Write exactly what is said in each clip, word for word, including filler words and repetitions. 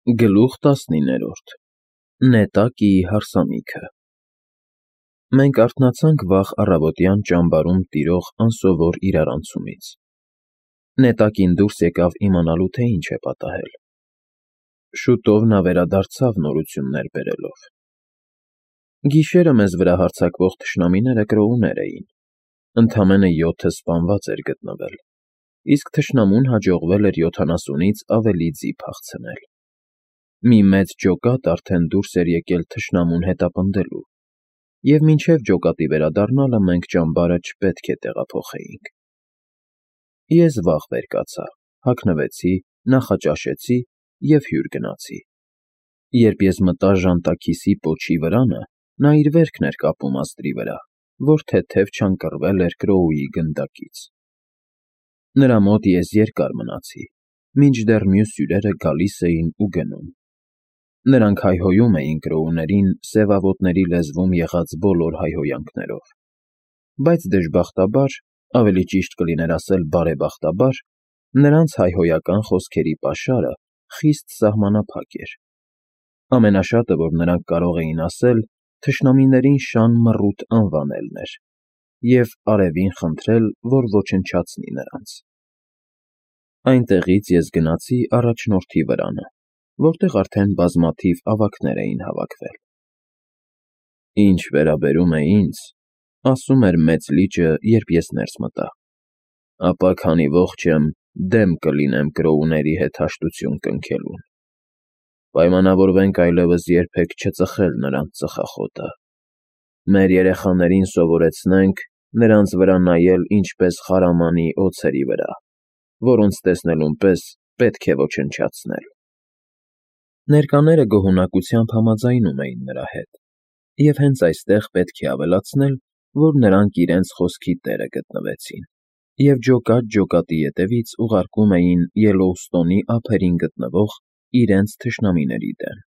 Գլուխ տասնիններորդ Նետակիի հարսանիքը Մենք արթնացանք վաղ առավոտյան ճամբարում տիրող անսովոր իրարանցումից։ Նետակին դուրս եկավ իմանալու, թե ինչ է պատահել։ Շուտով նա վերադարձավ նորություններ բերելով։ Գիշերը մեզ վրա հարձակվող թշնամիները կրոուներ էին, ընդամենը յոթը սպանված էր գտնվել, իսկ թշնամուն հաջողվել էր յոթանասունից ավելի ձի փախցնել։ Մի մեծ ջոկատ արդեն դուրս էր եկել թշնամուն հետապնդելու, և մինչև ջոկատի վերադառնալը մենք ճամբարը չպետք է տեղափոխեինք։ Ես վաղ վեր կացա, հագնվեցի, նախաճաշեցի և հյուր գնացի։ Երբ ես մտա ժանտաքիսի պոչի վրանը, նա իր վերքն էր կապում աստրի վրա, որ թեթև չանկռվել էր կրոուի գնդակից։ Նրա մոտ ես երկար մնացի, մինչդեռ մյուս հյուրերը գալիս էին ու գնում։ Նրանք հայհոյում էին կրոուներին սևավոտների լեզվում եղած բոլոր հայհոյանքներով, բայց դժբախտաբար, ավելի ճիշտ կլիներ ասել բարեբախտաբար, նրանց հայհոյական խոսքերի պաշարը խիստ սահմանափակ էր։ Ամենաշատը, որ նրանք կարող էին ասել, թշնամիներին շան մռութ անվանելն էր և արևին խնդրել, որ ոչնչացնի նրանց։ Այնտեղից ես գնացի առաջնորդի վրանը, որտեղ արդեն բազմաթիվ ավագներ էին հավաքվել։ «Ինչ վերաբերում է ինձ,— ասում էր մեծ լիճը, երբ ես ներս մտա,— ապա քանի ողջ եմ, դեմ կլինեմ կրոուների հետ հաշտություն կնքելուն։ Պայմանավորվենք այլևս երբեք չծխել նրանց ծխախոտը։ Մեր երեխաներին սովորեցնենք նրանց վրա նայել ինչպես խարամանի օձերի վրա, որոնց տեսնելուն պես պետք է ոչնչացնել»։ Ներկաները գոհունակությամբ համաձայնում էին նրա հետ, և հենց այստեղ պետք է ավելացնել, որ նրանք իրենց խոսքի տերը գտնվեցին և ջոկատ ջոկատի ետևից ուղարկում էին Ելլոուստոնի ափերին գտնվող իրենց թշնամիների դեմ,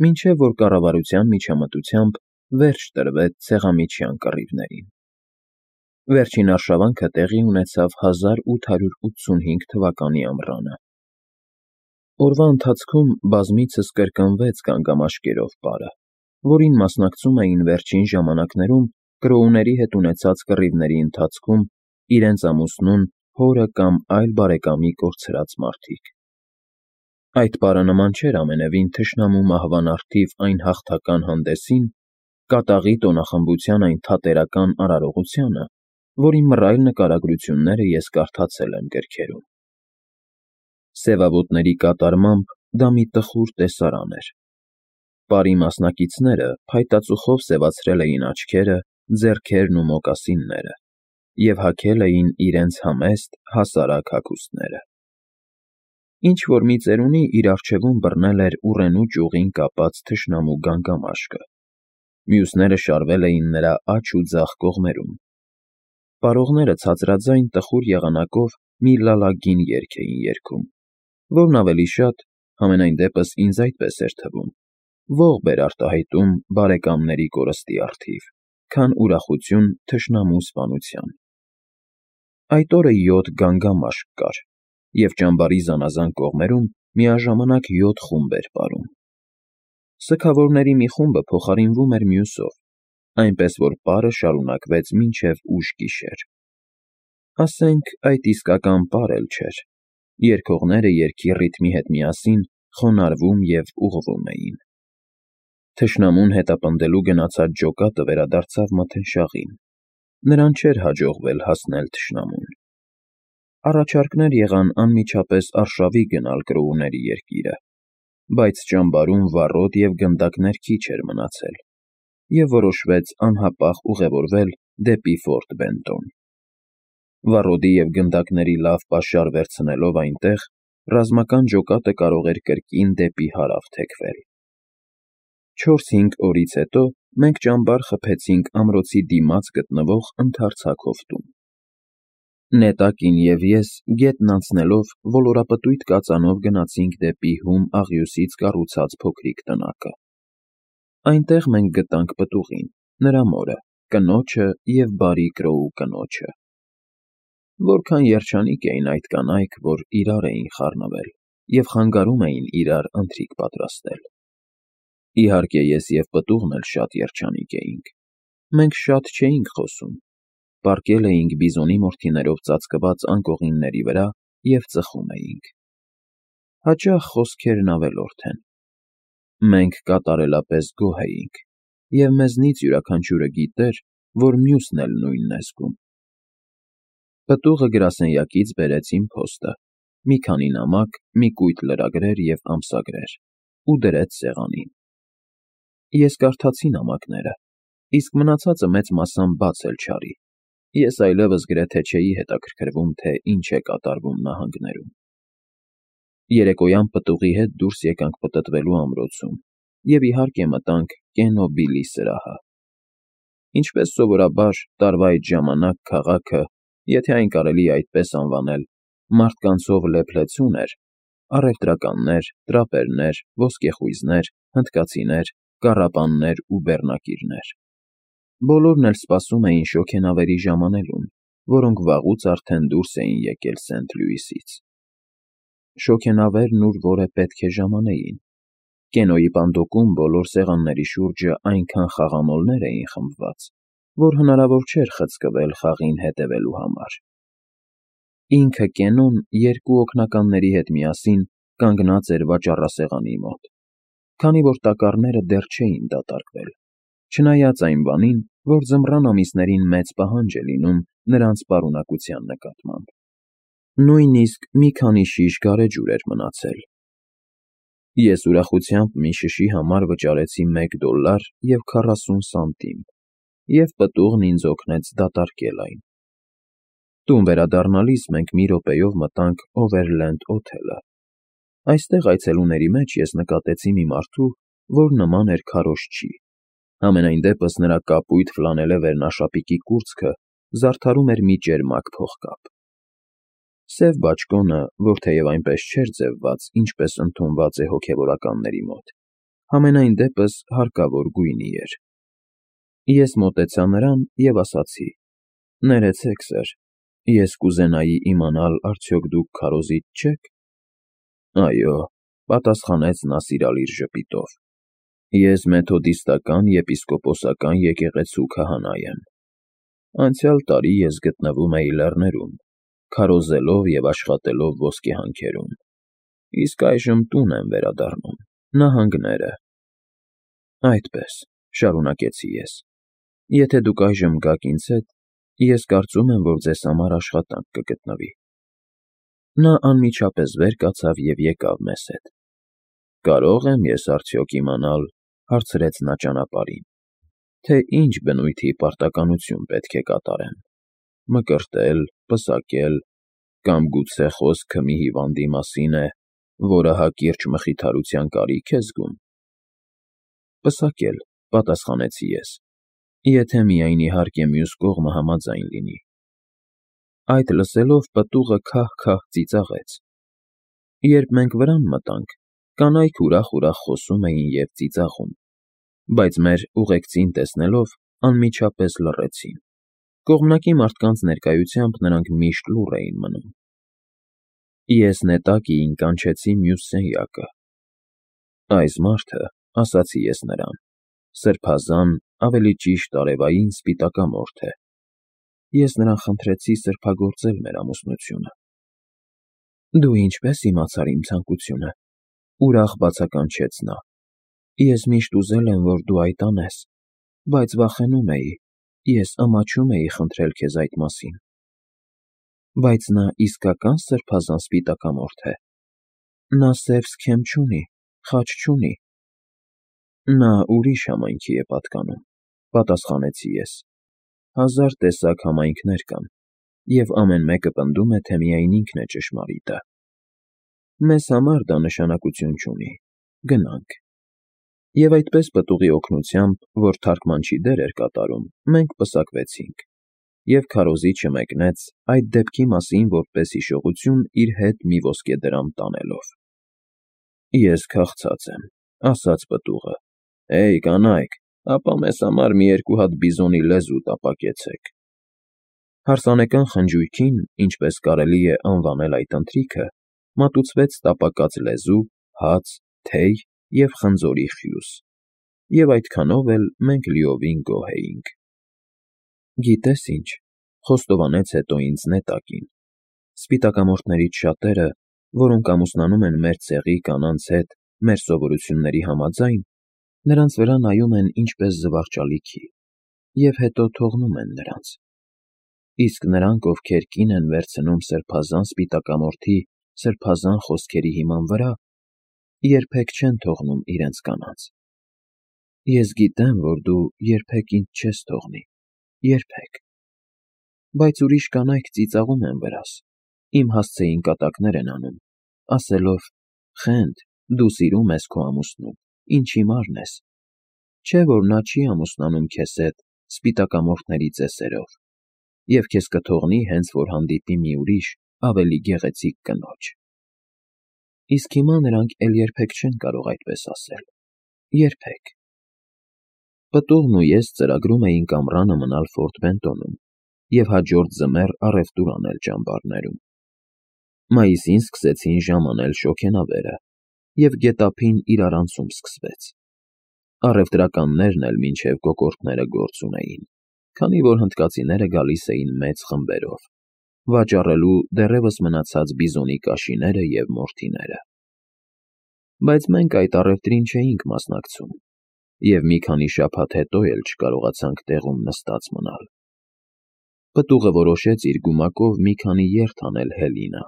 մինչև որ կառավարության միջամտությամբ վերջ տրվեց ցեղամիջյան կռիվներին։ Վերջին արշավանքը տեղի ունեցավ հազար ութ հարյուր ութսունհինգ թվականի ամռանը։ Օրվա ընթացքում բազմիցս կրկնվեց գանգամաշկերով պարը, որին մասնակցում էին վերջին ժամանակներում կրոուների հետ ունեցած կռիվների ընթացքում իրենց ամուսնուն, հորը կամ այլ բարեկամի կորցրած մարդիկ։ Այդ պարը նման չէր ամենևին թշնամու մահվան առթիվ այն հաղթական հանդեսին, կատաղի տոնախմբության այն թատերական արարողությանը, որի մռայլ նկարագրությունները ես կարդացել եմ գրքերում։ Սևավոտների կատարմամբ դա մի տխուր տեսարան էր։ Պարի մասնակիցները փայտածուխով սևացրել էին աչքերը, ձեռքերն ու մոկասինները և հագել էին իրենց համեստ, հասարակ հագուստները։ Ինչ-որ մի ծերունի իր առջևում բռնել էր ուռենու ճյուղին կապած թշնամու գանգամաշկը, մյուսները շարվել էին նրա աջ ու ձախ կողմերում։ Պարողները ցածրաձայն տխուր եղանակով մի լալագին երգ էին երգում, որն ավելի շատ, համենայն դեպս ինձ այդպես էր թվում, ողբ էր արտահայտում բարեկամների կորստի առթիվ, քան ուրախություն թշնամու սպանության։ Այդ օրը յոթ գանգամաշկ կար, և ճամբարի զանազան կողմերում միաժամանակ յոթ խումբ էր պարում։ Սգավորների մի խումբը փոխարինվում էր մյուսով, այնպես որ պարը շարունակվեց մինչև ուշ գիշեր։ Ասենք այդ իսկական պար էլ չէր. երգողները երգի ռիթմի հետ միասին խոնարհվում և ուղղվում էին։ Թշնամուն հետապնդելու գնացած ջոկատը վերադարձավ մթնշաղին, նրան չէր հաջողվել հասնել թշնամուն։ Առաջարկներ եղան անմիջապես արշավի գնալ կրոուների երկիրը, բայց ճամբարում վառոդ և գնդակներ քիչ էր մնացել, և որոշվեց անհապաղ ուղևորվել դեպի Ֆորտ Բենտոն։ Վառոդի և գնդակների լավ պաշար վերցնելով այնտեղ, ռազմական ջոկատը կարող էր կրկին դեպի հարավ թեքվել։ Չորս֊հինգ օրից հետո մենք ճամբար խփեցինք ամրոցի դիմաց գտնվող ընդարձակ հովտում։ Նետակին և ես գետն անցնելով ոլորապտույտ կածանով գնացինք դեպի հում աղյուսից կառուցած փոքրիկ տնակը։ Այնտեղ մենք գտանք պտուղին, նրա մորը, կնոջը և բարի կրոու կնոջը։ Որքան երջանիկ էին այդ կանայք, որ իրար էին խառնվել և խանգարում էին իրար ընթրիք պատրաստել։ Իհարկե, ես և պտուղն էլ շատ երջանիկ էինք։ Մենք շատ չէինք խոսում, պառկել էինք բիզոնի մորթիներով ծածկված անկողինների վրա և ծխում էինք։ Հաճախ խոսքերն ավելորդ են։ Մենք կատարելապես գոհ էինք, և մեզնից յուրաքանչյուրը գիտեր, որ մյուսն էլ նույնն է զգում։ Պտուղը գրասենյակից բերեց իմ փոստը, մի քանի նամակ, մի կույտ լրագրեր և ամսագրեր ու դրեց սեղանին։ Ես կարդացի նամակները, իսկ մնացածը մեծ մասամբ բաց էլ չարի։ Ես այլևս գրեթե չէի հետաքրքրվում, թե ինչ է կատարվում նահանգներում։ Երեկոյան պտուղի հետ դուրս եկանք պտտվելու ամրոցում և, իհարկե, մտանք Կենո Բիլի սրահը։ Ինչպես սովորաբար, տարվա այդ ժամանակ քաղաքը, եթե այն կարելի է այդպես անվանել, մարդկանցով լեփ-լեցուն էր. առևտրականներ, տրապերներ, ոսկեխույզներ, հնդկացիներ, կառապաններ ու բեռնակիրներ։ Բոլորն էլ սպասում էին շոգենավերի ժամանելուն, որոնք վաղուց արդեն դուրս էին եկել Սենթ Լյուիսից։ Շոգենավերն ուր որ է պետք է ժամանեին։ Կենոյի պանդոկում բոլոր սեղանների շուրջը այնքան խաղամոլներ էին խմբված, որ հնարավոր չէր խցկվել խաղին հետևելու համար։ Ինքը Կենոն երկու օգնականների հետ միասին կանգնած էր վաճառասեղանի մոտ, քանի որ տակառները դեռ չէին դատարկվել, չնայած այն բանին, որ ձմռան ամիսներին մեծ պահանջ է լինում նրանց պարունակության նկատմամբ։ Նույնիսկ մի քանի շիշ գարեջուր էր մնացել։ Ես ուրախությամբ մի շշի համար վճարեցի մեկ դոլար և քառասուն սանտիմ, և պտուղն ինձ օգնեց դատարկել այն։ Տուն վերադառնալիս մենք մի րոպեով մտանք Օվերլենդ օթելը։ Այստեղ այցելուների մեջ ես նկատեցի մի մարդու, որ նման էր քարոզչի։ Համենայն դեպս նրա կապույտ ֆլանելե վերնաշապիկի կուրծքը զարդարում էր մի ճերմակ փողկապ։ Սև բաճկոնը, որ թեև այնպես չէր ձևված, ինչպես ընդունված է հոգևորականների մոտ, համենայն դեպս հարկավոր գույնի էր։ Ես մոտեցա նրան և ասացի. «Ներեցեք, սըր, ես կուզենայի իմանալ, արդյոք դուք քարոզիչ չե՞ք»։ «Այո», պատասխանեց նա սիրալիր ժպիտով, «ես մեթոդիստական եպիսկոպոսական եկեղեցու քահանա եմ։ Անցյալ տարի ես գտնվում էի լեռներում, քարոզելով և աշխատելով ոսկեհանքերում, իսկ այժմ տուն եմ վերադառնում, նահանգները»։ «Այդպես», շարունակեցի ես, «եթե դուք այժմ գաք ինձ հետ, ես կարծում եմ, որ ձեզ համար աշխատանք կգտնվի»։ Նա անմիջապես վեր կացավ և եկավ մեզ հետ։ «Կարո՞ղ եմ ես արդյոք իմանալ,֊ հարցրեց նա ճանապարհին,֊ թե ինչ բնույթի պարտականություն պետք է կատարեմ՝ մկրտել, պսակել, կամ գուցե խոսքը մի հիվանդի մասին է, որը հակիրճ մխիթարության կարիք է զգում»։ «Պսակել,֊ պատասխանեցի ես,֊ եթե միայն իհարկե մյուս կողմը համաձայն լինի»։ Այդ լսելով պտուղը քահ֊քահ ծիծաղեց։ Երբ մենք վրան մտանք, կանայք ուրախ֊ուրախ խոսում էին և ծիծաղում, բայց մեր ուղեկցին տեսնելով անմիջապես լռեցին։ Կողմնակի մարդկանց ներկայությամբ նրանք միշտ լուռ էին մնում։ Ես նետակիին կանչեցի մյուս սենյակը։ «Այս մարդը,֊ ասացի ես նրան,֊ սրբազան, ավելի ճիշտ արևային սպիտակամորթ է։ Ես նրան խնդրեցի սրբագործել մեր ամուսնությունը»։ «Դու ինչպե՞ս իմացար իմ ցանկությունը,֊ ուրախ բացականչեց նա,֊ ես միշտ ուզել եմ, որ դու այդ անես, բայց վախենում էի, ես ամաչում էի խնդրել քեզ այդ մասին»։ «Բայց նա իսկակա՞ն սրբազան սպիտակամորթ է։ Նա սև սքեմ չունի, խաչ չունի»։ «Նա ուրիշ համայնքի է պատկանում,֊ պատասխանեցի ես,֊ հազար տեսակ համայնքներ կան, և ամեն մեկը պնդում է, թե միայն ինքն է ճշմարիտը։ Մեզ համար դա նշանակություն չունի, գնանք»։ Եվ այդպես պտուղի օգնությամբ, որ թարգմանչի դեր էր կատարում, մենք պսակվեցինք, և քարոզիչը մեկնեց, այդ դեպքի մասին որպես հիշողություն իր հետ մի ոսկեդրամ տանելով։ «Ես քաղցած եմ,֊ ասաց պտուղը,֊ Հեյ, կանայք, ապա մեզ համար մի երկու հատ բիզոնի լեզու տապակեցեք»։ Հարսանեկան խնջույքին, ինչպես կարելի է անվանել այդ ընթրիքը, մատուցվեց տապակած լեզու, հաց, թեյ և խնձորի խյուս, և այդքանով էլ մենք լիովին գոհ էինք։ Գիտե՞ս ինչ,֊ խոստովանեց հետո ինձ Նետակին,֊ սպիտակամորթներից շատերը, որոնք ամուսնանում են մեր ցեղի կանանց հետ մեր սովորությունների համաձայն, նրանց վրա նայում են ինչպես զվարճալիքի և հետո թողնում են նրանց, իսկ նրանք, ովքեր կին են վերցնում սրբազան սպիտակամորթի սրբազան խոսքերի հիման վրա, երբեք չեն թողնում իրենց կանանց։ Ես գիտեմ, որ դու երբեք ինձ չես թողնի, երբեք, բայց ուրիշ կանայք ծիծաղում են վրաս, իմ հասցեին կատակներ են անում, ասելով. «Խենթ, դու սիրում ես քո ամուսնուն, ինչ հիմարն ես, չէ՞ որ նա չի ամուսնանում քեզ հետ սպիտակամորթների ծեսերով և քեզ կթողնի, հենց որ հանդիպի մի ուրիշ, ավելի գեղեցիկ կնոջ»։ Իսկ հիմա նրանք էլ երբեք չեն կարող այդպես ասել, երբեք։ Պտուղն ու ես ծրագրում էինք ամռանը մնալ Ֆորտ Բենտոնում և հաջորդ ձմեռ առևտուր անել ճամբարներում։ Մայիսին սկսեցին ժամ անել շոգենավերը, և գետափին իրարանցում սկսվեց։ Առևտրականներն էլ մինչև կոկորդները գործ ունեին, քանի որ հնդկացիները գալիս էին մեծ խմբերով, վաճառելու դեռևս մնացած բիզոնի կաշիները և մորթիները։ Բայց մենք այդ առևտրին չէինք մասնակցում և մի քանի շաբաթ հետո էլ չկարողացանք տեղում նստած մնալ։ Պտուղը որոշեց իր գումակով մի քանի երթ անել Հելինա,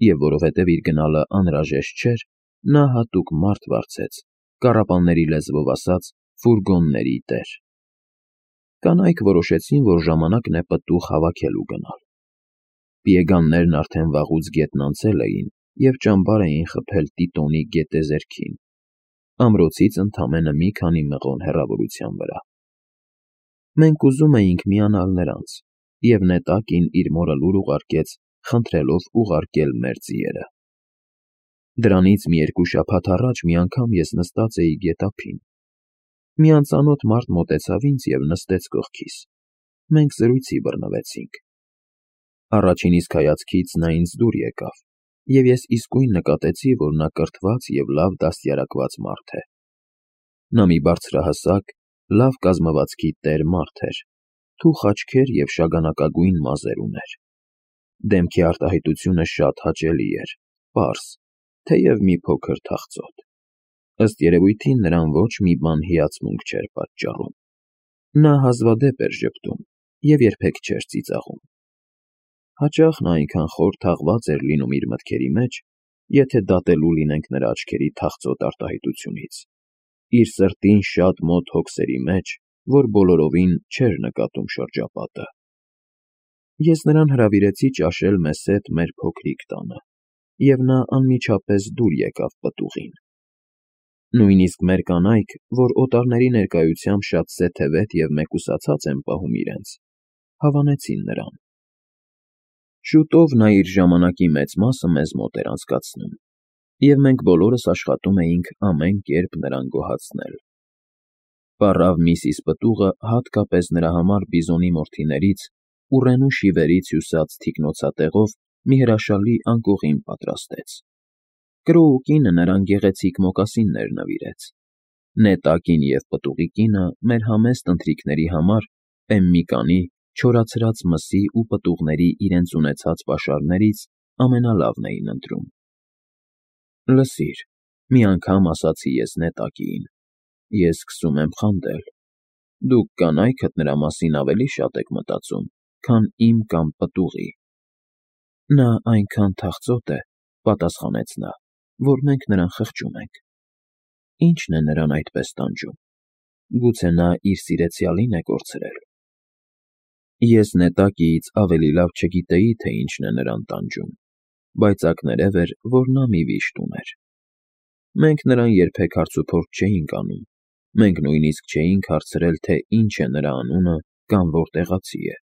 և որովհետև իր գնալը անհրաժեշտ չէր, նա հատուկ մարդ վարձեց, կառապանների լեզվով ասած, ֆուրգոնների տեր։ Կանայք որոշեցին, որ ժամանակն է պտուղ հավաքելու գնալ։ Պիեգաններն արդեն վաղուց գետն անցել էին և ճամբար էին խփել Տիտոնի գետեզերքին, ամրոցից ընդամենը մի քանի մղոն հեռավորության վրա։ Մենք ուզում էինք միանալ նրանց, և Նետակին իր մորը լուր ուղարկեց, խնդրելով ուղարկել մեր ձիերը։ Դրանից մի երկու շաբաթ առաջ մի անգամ ես նստած էի գետափին։ Մի անծանոթ մարդ մոտեցավ ինձ և նստեց կողքիս, մենք զրույցի բռնվեցինք։ Առաջին իսկ հայացքից նա ինձ դուր եկավ, և ես իսկույն նկատեցի, որ նա կրթված և լավ դաստիարակված մարդ է։ Նա մի բարձրահասակ, լավ կազմվածքի տեր մարդ էր, թուխ աչքեր և շագանակագույն մազեր ուներ։ Դեմքի արտահայտությունը շատ հաճելի էր, պարզ, թեև մի փոքր թախծոտ։ Ըստ երևույթին նրան ոչ մի բան հիացմունք չէր պատճառում։ Նա հազվադեպ էր ժպտում և երբեք չէր ծիծաղում։ Հաճախ նա այնքան խոր թաղված էր լինում իր մտքերի մեջ, եթե դատելու լինենք նրա աչքերի թախծոտ արտահայտությունից, իր սրտին շատ մոտ հոգսերի մեջ, որ բոլորովին չէր նկատում շրջապատը։ Ես նրան հրավիրեցի ճաշել մեզ հետ մեր փոքրիկ տանը, և նա անմիջապես դուր եկավ պտուղին։ Նույնիսկ մեր կանայք, որ օտարների ներկայությամբ շատ սեթևետ և մեկուսացած են պահում իրենց, հավանեցին նրան։ Շուտով նա իր ժամանակի մեծ մասը մեզ մոտ էր անցկացնում, և մենք բոլորս աշխատում էինք ամեն կերպ նրան գոհացնել։ Պառավ միսիս Պտուղը հատկապես նրա համար բիզոնի մորթիներից, ուռենու շիվերից հյուսած թիկնոցատեղով մի հրաշալի անկողին պատրաստեց։ Կրոու կինը նրան գեղեցիկ մոկասիններ նվիրեց։ Նետակին և պտուղի կինը մեր համեստ ընթրիքների համար Պեմմիկանի, չորացրած մսի ու պտուղների իրենց ունեցած պաշարներից ամենալավն էին ընտրում։ Լսիր,֊ մի անգամ ասացի ես Նետակիին,֊ ես սկսում եմ խանդել։ Դուք կանայքդ նրա մասին ավելի շատ եք մտածում, քան իմ կամ պտուղի։ Նա այնքան թախծոտ է,֊ պատասխանեց նա,֊ որ մենք նրան խղճում ենք։ Ի՞նչն է նրան այդպես տանջում։ Գուցե նա իր սիրեցյալի՞ն է կորցրել։ Ես Նետակիից ավելի լավ չգիտեի, թե ինչն է նրան տանջում, բայց ակներև էր, որ նա մի վիշտ ուներ։ Մենք նրան երբեք հարցուփորձ չէինք անում, մենք նույնիսկ չէինք հարցրել, թե ինչ է նրա անունը կամ որտեղացի է։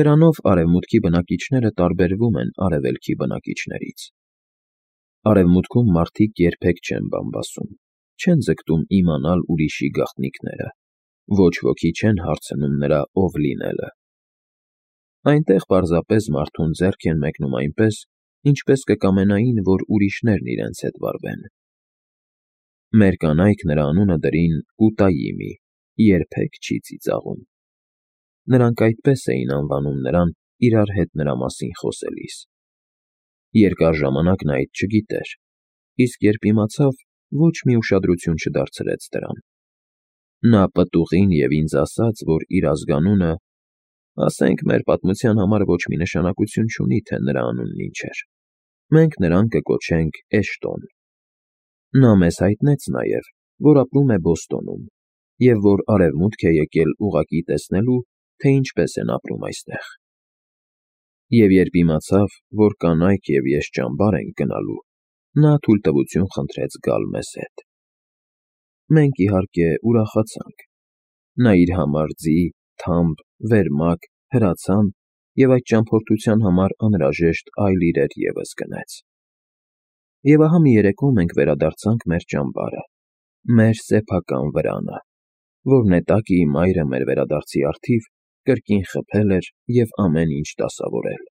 Դրանով արևմուտքի բնակիչները տարբերվում են արևելքի բնակիչներից։ Արևմուտքում մարդիկ երբեք չեն բամբասում, չեն ձգտում իմանալ ուրիշի գաղտնիքները, ոչ ոքի չեն հարցնում նրա ով լինելը։ Այնտեղ պարզապես մարդուն ձեռք են մեկնում այնպես, ինչպես կկամենային, որ ուրիշներն իրենց հետ վարվեն։ Մեր կանայք նրա անունը դրին Ուտայիմի, երբեք չի ծիծաղում։ Նրանք այդպես էին անվանում նրան իրար հետ նրա մասին խոսելիս։ Երկար ժամանակ նա այդ չգիտեր, իսկ երբ իմացավ, ոչ մի ուշադրություն չդարձրեց դրան։ Նա պտուղին և ինձ ասաց, որ իր ազգանունը, ասենք մեր պատմության համար ոչ մի նշանակություն չունի, թե նրա անունն ինչ էր, մենք նրան կկոչենք Էշտոն։ Նա մեզ հայտնեց նաև, որ ապրում է Բոստոնում և որ արևմուտք է եկել ուղղակի տեսնելու, թե ինչպես են ապրում այստեղ։ Եվ երբ իմացավ, որ կանայք և ես ճամբար ենք գնալու, նա թույլտվություն խնդրեց գալ մեզ հետ։ Մենք, իհարկե, ուրախացանք։ Նա իր համար ձի, թամբ, վերմակ, հրացան և այդ ճամփորդության համար անհրաժեշտ այլ իրեր ևս գնեց։ Եվ ահա մի երեկո մենք վերադարձանք մեր ճամբարը, մեր սեփական վրանը, որ Նետակիի մայրը մեր վերադարձի առթիվ կրկին խփել էր և ամեն ինչ դասավորել։